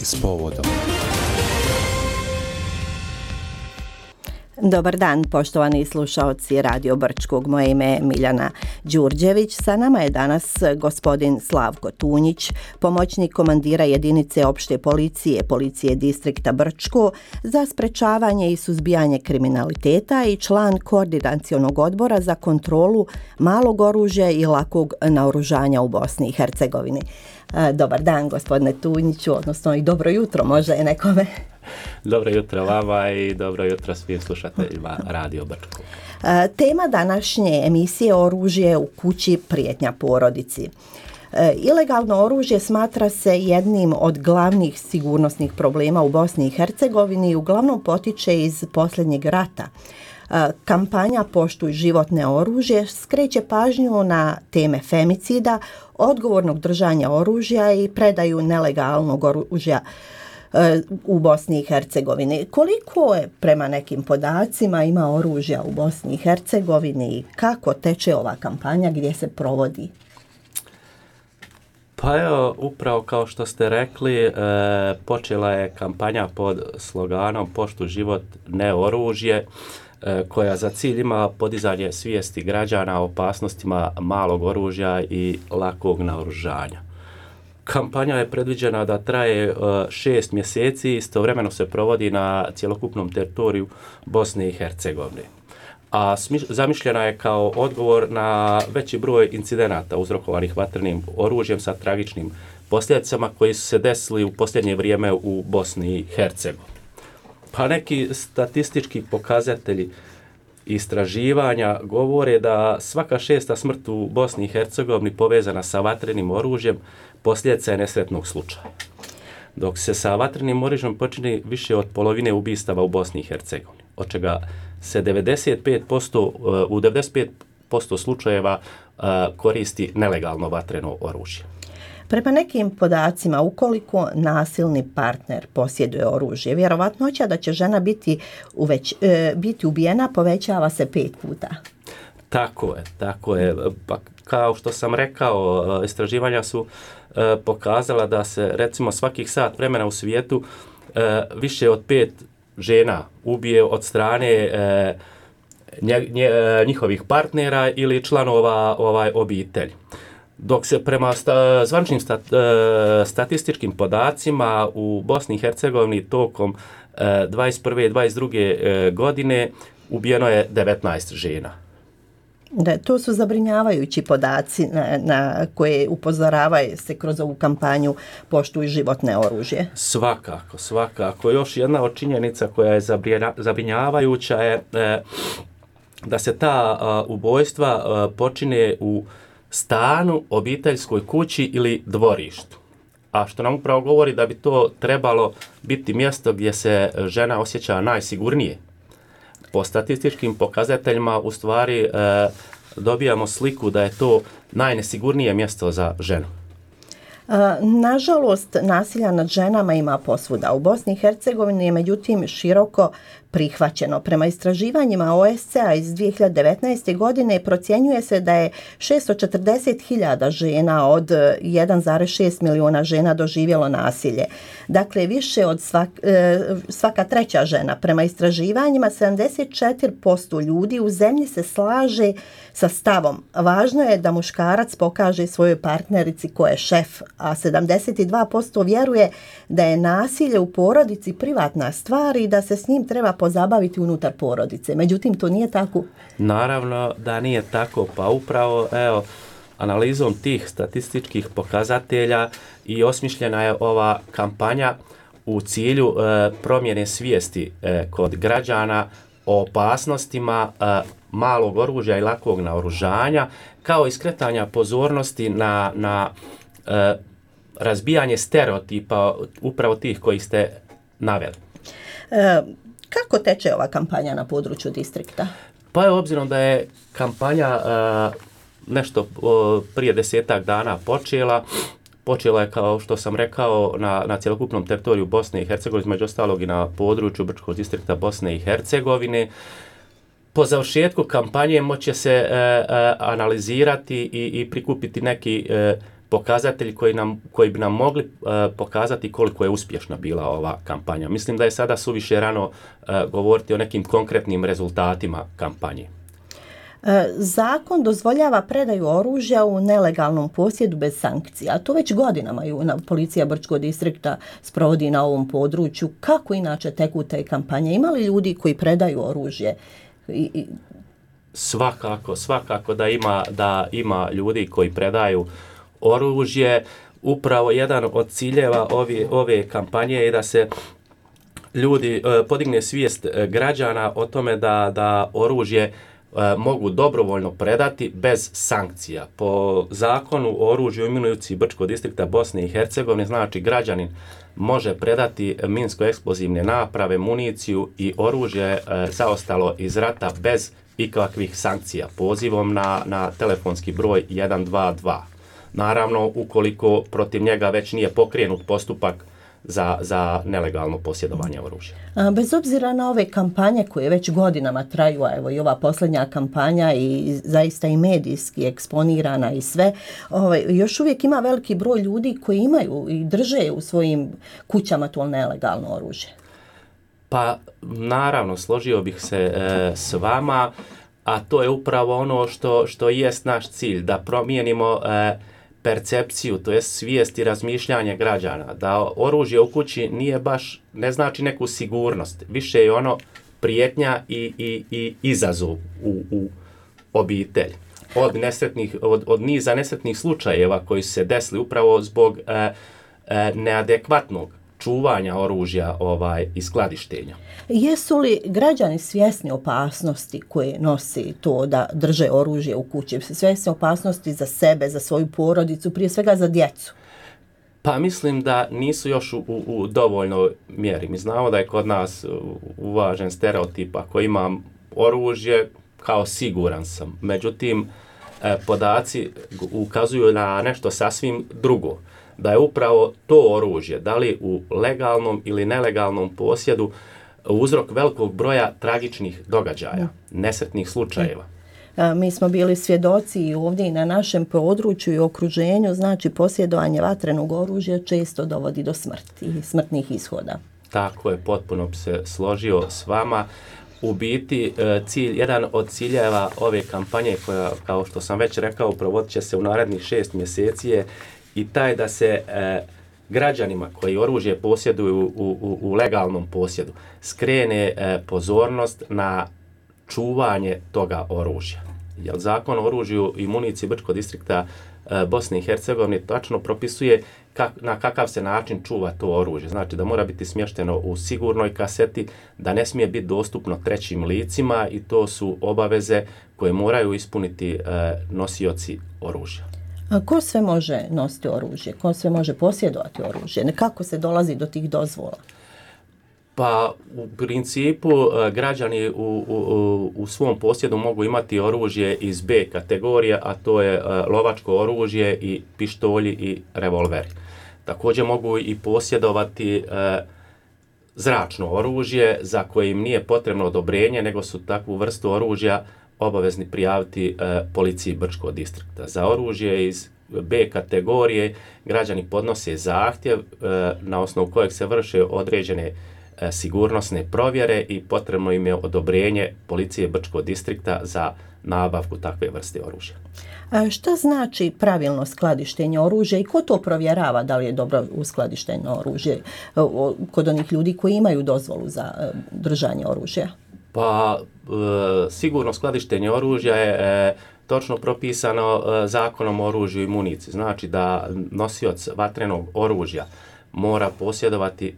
s povodom. Dobar dan, poštovani slušaoci Radio Brčkog. Moje ime je Miljana Đurđević. Sa nama je danas gospodin Slavko Tunjić, pomoćnik komandira jedinice opšte policije distrikta Brčko za sprečavanje i suzbijanje kriminaliteta i član koordinacionog odbora za kontrolu malog oružja i lakog naoružanja u Bosni i Hercegovini. Dobar dan, gospodine Tunjiću, odnosno i dobro jutro može je nekome. Dobro jutro vama i dobro jutro svim slušateljima Radio Brčko. Tema današnje emisije Oružje u kući, prijetnja porodici. Ilegalno oružje smatra se jednim od glavnih sigurnosnih problema u Bosni i Hercegovini i uglavnom potiče iz posljednjeg rata. Kampanja Poštuj životne oružje skreće pažnju na teme femicida, odgovornog držanja oružja i predaju nelegalnog oružja u Bosni i Hercegovini. Koliko je prema nekim podacima ima oružja u Bosni i Hercegovini i kako teče ova kampanja, gdje se provodi? Pa evo, upravo kao što ste rekli, počela je kampanja pod sloganom Poštuj život, ne oružje, koja za cilj ima podizanje svijesti građana o opasnostima malog oružja i lakog naoružanja. Kampanja je predviđena da traje 6 mjeseci, istovremeno se provodi na cjelokupnom teritoriju Bosne i Hercegovine. A zamišljena je kao odgovor na veći broj incidenata uzrokovanih vatrenim oružjem sa tragičnim posljedicama koji su se desili u posljednje vrijeme u Bosni i Hercegovini. Pa neki statistički pokazatelji istraživanja govore da svaka 6. smrt u Bosni i Hercegovini povezana sa vatrenim oružjem posljedica je nesretnog slučaja. Dok se sa vatrenim oružjem počini više od polovine ubistava u Bosni i Hercegovini, od čega se u 95% slučajeva koristi nelegalno vatreno oružje. Prema nekim podacima, ukoliko nasilni partner posjeduje oružje, vjerovatnoća da će žena biti ubijena povećava se 5 puta. Tako je. Pa kao što sam rekao, istraživanja su pokazala da se recimo svakih sat vremena u svijetu više od 5 žena ubije od strane njihovih partnera ili članova obitelji. Dok se prema zvaničnim statističkim podacima u Bosni i Hercegovini tokom 21. i 22. godine ubijeno je 19 žena. Da, to su zabrinjavajući podaci na koje upozoravaju se kroz ovu kampanju Poštuj životne oružje. Svakako. Još jedna od činjenica koja je zabrinjavajuća je da se ta ubojstva počine u stanu, obiteljskoj kući ili dvorištu. A što nam upravo govori da bi to trebalo biti mjesto gdje se žena osjeća najsigurnije. Po statističkim pokazateljima u stvari dobijamo sliku da je to najnesigurnije mjesto za ženu. Nažalost, nasilja nad ženama ima posvuda. U Bosni i Hercegovini je međutim široko prihvaćeno. Prema istraživanjima OSCE-a iz 2019. godine procjenjuje se da je 640.000 žena od 1,6 milijuna žena doživjelo nasilje. Dakle, više od svaka treća žena. Prema istraživanjima 74% ljudi u zemlji se slaže sa stavom. Važno je da muškarac pokaže svojoj partnerici ko je šef, a 72% vjeruje da je nasilje u porodici privatna stvar i da se s njim treba pozabaviti unutar porodice. Međutim, to nije tako. Naravno da nije tako, pa upravo analizom tih statističkih pokazatelja i osmišljena je ova kampanja u cilju promjene svijesti kod građana o opasnostima malog oružja i lakog naoružanja, kao i skretanja pozornosti na razbijanje stereotipa upravo tih koji ste naveli. Kako teče ova kampanja na području distrikta? Pa je obzirom da je kampanja nešto prije 10 dana počela je, kao što sam rekao, na cjelokupnom teritoriju Bosne i Hercegovine, među ostalog i na području Brčkog distrikta Bosne i Hercegovine. Po završetku kampanje moće se analizirati i prikupiti neki pokazatelji koji bi nam mogli pokazati koliko je uspješna bila ova kampanja. Mislim da je sada suviše rano govoriti o nekim konkretnim rezultatima kampanje. Zakon dozvoljava predaju oružja u nelegalnom posjedu bez sankcija. To već godinama policija Brčkog distrikta sprovodi na ovom području. Kako inače teku te kampanje? Ima li ljudi koji predaju oružje? Svakako da ima ljudi koji predaju oružje. Upravo jedan od ciljeva ove kampanje je da se ljudi podigne svijest građana o tome da oružje mogu dobrovoljno predati bez sankcija. Po zakonu o oružju i municiji Brčkog distrikta Bosne i Hercegovine, znači građanin može predati minsko-eksplozivne naprave, municiju i oružje zaostalo iz rata bez ikakvih sankcija, pozivom na telefonski broj 122. Naravno, ukoliko protiv njega već nije pokrenut postupak za nelegalno posjedovanje oružja. Bez obzira na ove kampanje koje već godinama traju, a evo i ova posljednja kampanja i zaista i medijski eksponirana i sve, još uvijek ima veliki broj ljudi koji imaju i drže u svojim kućama to nelegalno oružje. Pa naravno, složio bih se s vama, a to je upravo ono što jest naš cilj, da promijenimo percepciju, to jest svijest i razmišljanje građana, da oružje u kući ne znači neku sigurnost, više je ono prijetnja i izazov u obitelj. Od niza nesretnih slučajeva koji su se desili upravo zbog neadekvatnog čuvanja oružja i skladištenja. Jesu li građani svjesni opasnosti koje nosi to da drže oružje u kući? Svjesni opasnosti za sebe, za svoju porodicu, prije svega za djecu? Pa mislim da nisu još u dovoljnoj mjeri. Mi znamo da je kod nas uvažen stereotip, ako imam oružje, kao siguran sam. Međutim, podaci ukazuju na nešto sasvim drugo. Da je upravo to oružje, da li u legalnom ili nelegalnom posjedu, uzrok velikog broja tragičnih događaja, nesretnih slučajeva. Mi smo bili svjedoci i ovdje i na našem području i okruženju, znači posjedovanje vatrenog oružja često dovodi do smrti i smrtnih ishoda. Tako je, potpuno bi se složio s vama. U biti, jedan od ciljeva ove kampanje, koja, kao što sam već rekao, provodit će se u narednih 6 mjeseci je i taj da se građanima koji oružje posjeduju u legalnom posjedu skrene pozornost na čuvanje toga oružja. Jer Zakon o oružju i municiji Brčkog distrikta Bosne i Hercegovine tačno propisuje na kakav se način čuva to oružje. Znači da mora biti smješteno u sigurnoj kaseti, da ne smije biti dostupno trećim licima i to su obaveze koje moraju ispuniti nosioci oružja. A ko sve može nositi oružje? Ko sve može posjedovati oružje? Kako se dolazi do tih dozvola? Pa u principu građani u svom posjedu mogu imati oružje iz B kategorije, a to je lovačko oružje i pištolji i revolveri. Također mogu i posjedovati zračno oružje za koje im nije potrebno odobrenje, nego su takvu vrstu oružja obavezni prijaviti policiji Brčkog distrikta. Za oružje iz B kategorije građani podnose zahtjev na osnovu kojeg se vrše određene sigurnosne provjere i potrebno im je odobrenje policije Brčkog distrikta za nabavku takve vrste oružja. Šta znači pravilno skladištenje oružja i ko to provjerava da li je dobro uskladišteno oružje kod onih ljudi koji imaju dozvolu za držanje oružja? Pa sigurno skladištenje oružja je točno propisano Zakonom o oružju i municiji. Znači da nosioc vatrenog oružja mora posjedovati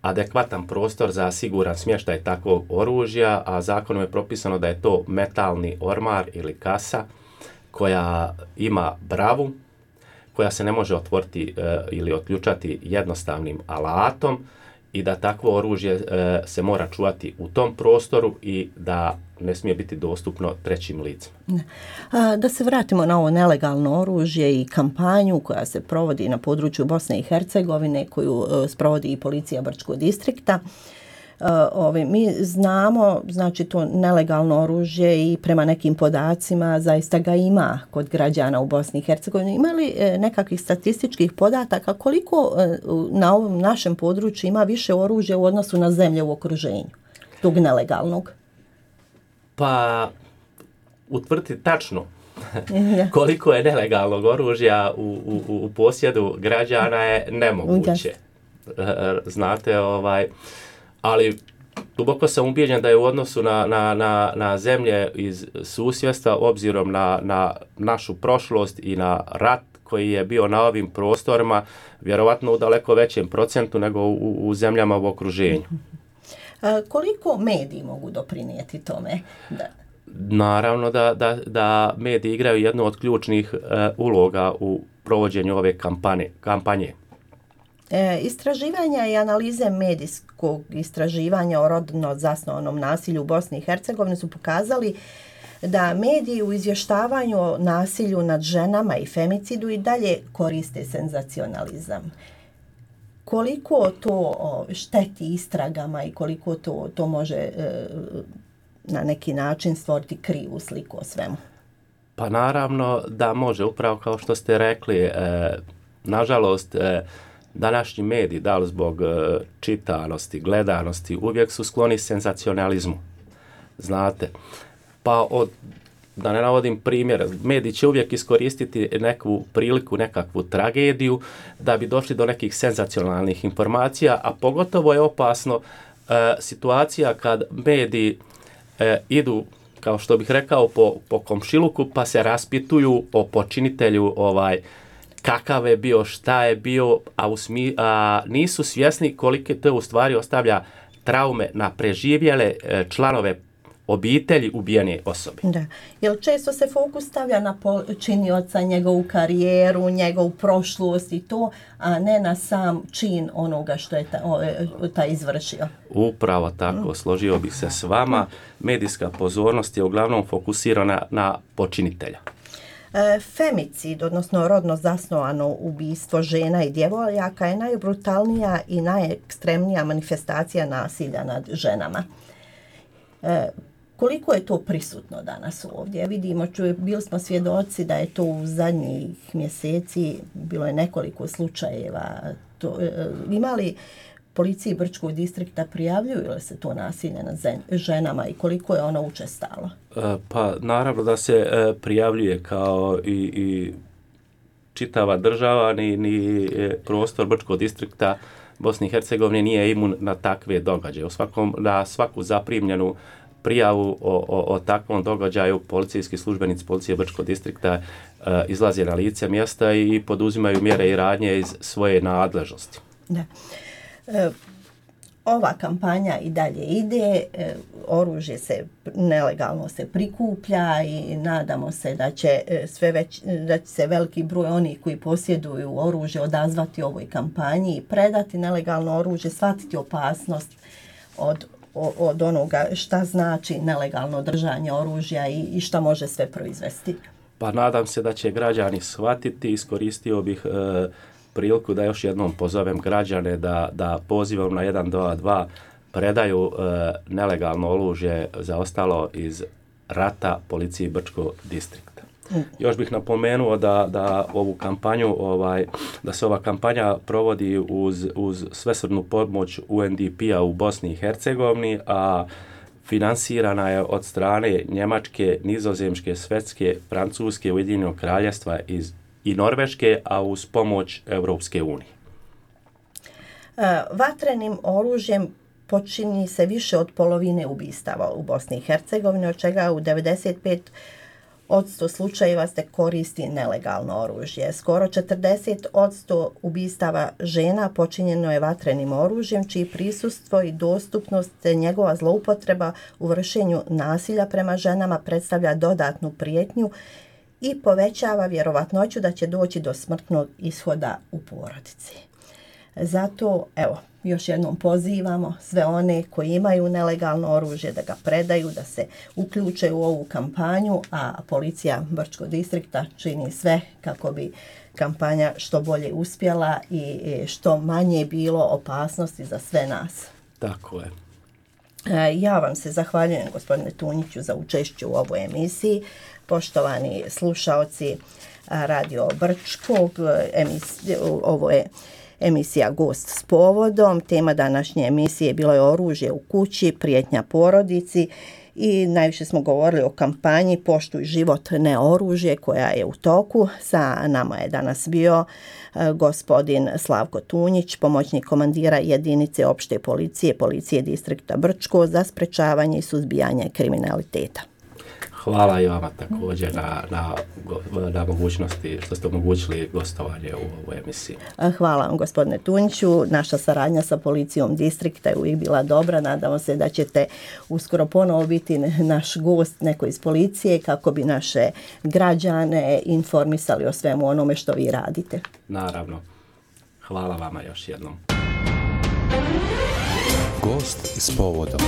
adekvatan prostor za siguran smještaj takvog oružja, a zakonom je propisano da je to metalni ormar ili kasa koja ima bravu, koja se ne može otvoriti ili otključati jednostavnim alatom i da takvo oružje se mora čuvati u tom prostoru i da ne smije biti dostupno trećim licima. Da se vratimo na ovo nelegalno oružje i kampanju koja se provodi na području Bosne i Hercegovine, koju sprovodi i policija Brčkog distrikta. Mi znamo, znači to nelegalno oružje i prema nekim podacima zaista ga ima kod građana u Bosni i Hercegovini. Ima li nekakvih statističkih podataka koliko na ovom našem području ima više oružja u odnosu na zemlje u okruženju tog nelegalnog? Pa utvrditi tačno koliko je nelegalnog oružja u posjedu građana je nemoguće. Znate, ali duboko sam ubijeđen da je u odnosu na zemlje iz susjedstva, obzirom na našu prošlost i na rat koji je bio na ovim prostorima, vjerovatno u daleko većem procentu nego u zemljama u okruženju. Koliko mediji mogu doprinijeti tome? Naravno da mediji igraju jednu od ključnih uloga u provođenju ove kampanje. Istraživanja i analize medijskog istraživanja o rodno zasnovanom nasilju u Bosni i Hercegovini su pokazali da mediji u izvještavanju o nasilju nad ženama i femicidu i dalje koriste senzacionalizam. Koliko to šteti istragama i koliko to može na neki način stvoriti krivu sliku o svemu? Pa naravno da može, upravo kao što ste rekli. Nažalost, današnji mediji, da li zbog čitanosti, gledanosti, uvijek su skloni senzacionalizmu. Znate, pa da ne navodim primjer, mediji će uvijek iskoristiti neku priliku, nekakvu tragediju da bi došli do nekih senzacionalnih informacija, a pogotovo je opasno situacija kad mediji idu, kao što bih rekao, po komšiluku pa se raspituju o počinitelju kakav je bio, šta je bio, a nisu svjesni koliko to u stvari ostavlja traume na preživjele članove obitelji ubijene osobe. Da. Jer često se fokus stavlja na počinioca, njegovu karijeru, njegovu prošlost i to, a ne na sam čin onoga što je taj izvršio. Upravo tako, složio bih se s vama. Medijska pozornost je uglavnom fokusirana na počinitelja. Femicid, odnosno rodno zasnovano ubistvo žena i djevojaka je najbrutalnija i najekstremnija manifestacija nasilja nad ženama. Koliko je to prisutno danas ovdje? Vidimo, bili smo svjedoci da je to u zadnjih mjeseci, bilo je nekoliko slučajeva. Ima li policiji Brčkog distrikta, prijavljuju li se to nasilje nad ženama i koliko je ono učestalo? Pa naravno da se prijavljuje, kao i čitava država, ni prostor Brčkog distrikta Bosne i Hercegovine nije imun na takve događaje. Na svaku zaprimljenu prijavu o takvom događaju policijski službenici policije Brčkog distrikta izlaze na lice mjesta i poduzimaju mjere i radnje iz svoje nadležnosti. Da. Ova kampanja i dalje ide, oružje nelegalno se prikuplja i nadamo se da će se veliki broj onih koji posjeduju oružje odazvati ovoj kampanji i predati nelegalno oružje, shvatiti opasnost od onoga šta znači nelegalno držanje oružja i šta može sve proizvesti. Pa nadam se da će građani shvatiti. Iskoristio bih priliku da još jednom pozovem građane da pozivom na 122 predaju nelegalno oružje zaostalo iz rata policiji Brčkog distrikta. Još bih napomenuo da ovu kampanju, da se ova kampanja provodi uz svesrdnu pomoć UNDP-a u Bosni i Hercegovini, a finansirana je od strane Njemačke, Nizozemske, Švedske, Francuske, Ujedinjenog Kraljevstva i Norveške, a uz pomoć Europske unije. Vatrenim oružjem počini se više od polovine ubistava u Bosni i Hercegovini, od čega u 95% slučajeva se koristi nelegalno oružje. Skoro 40% ubistava žena počinjeno je vatrenim oružjem, čiji prisustvo i dostupnost te njegova zloupotreba u vršenju nasilja prema ženama predstavlja dodatnu prijetnju i povećava vjerovatnoću da će doći do smrtnog ishoda u porodici. Zato, evo, još jednom pozivamo sve one koji imaju nelegalno oružje da ga predaju, da se uključe u ovu kampanju, a policija Brčkog distrikta čini sve kako bi kampanja što bolje uspjela i što manje bilo opasnosti za sve nas. Tako je. Ja vam se zahvaljujem, gospodine Tunjiću, za učešće u ovoj emisiji. Poštovani slušaoci Radio Brčkog, ovo je emisija Gost s povodom. Tema današnje emisije bilo je oružje u kući, prijetnja porodici i najviše smo govorili o kampanji Poštuj život, ne oružje, koja je u toku. Sa nama je danas bio gospodin Slavko Tunjić, pomoćnik komandira jedinice opšte policije distrikta Brčko za sprečavanje i suzbijanje kriminaliteta. Hvala i vama također na mogućnosti što ste omogućili gostovanje u ovoj emisiji. Hvala vam, gospodine Tunjiću. Naša saradnja sa policijom distrikta je uvijek bila dobra. Nadamo se da ćete uskoro ponovo biti naš gost, neko iz policije, kako bi naše građane informisali o svemu onome što vi radite. Naravno. Hvala vama još jednom. Gost s povodom.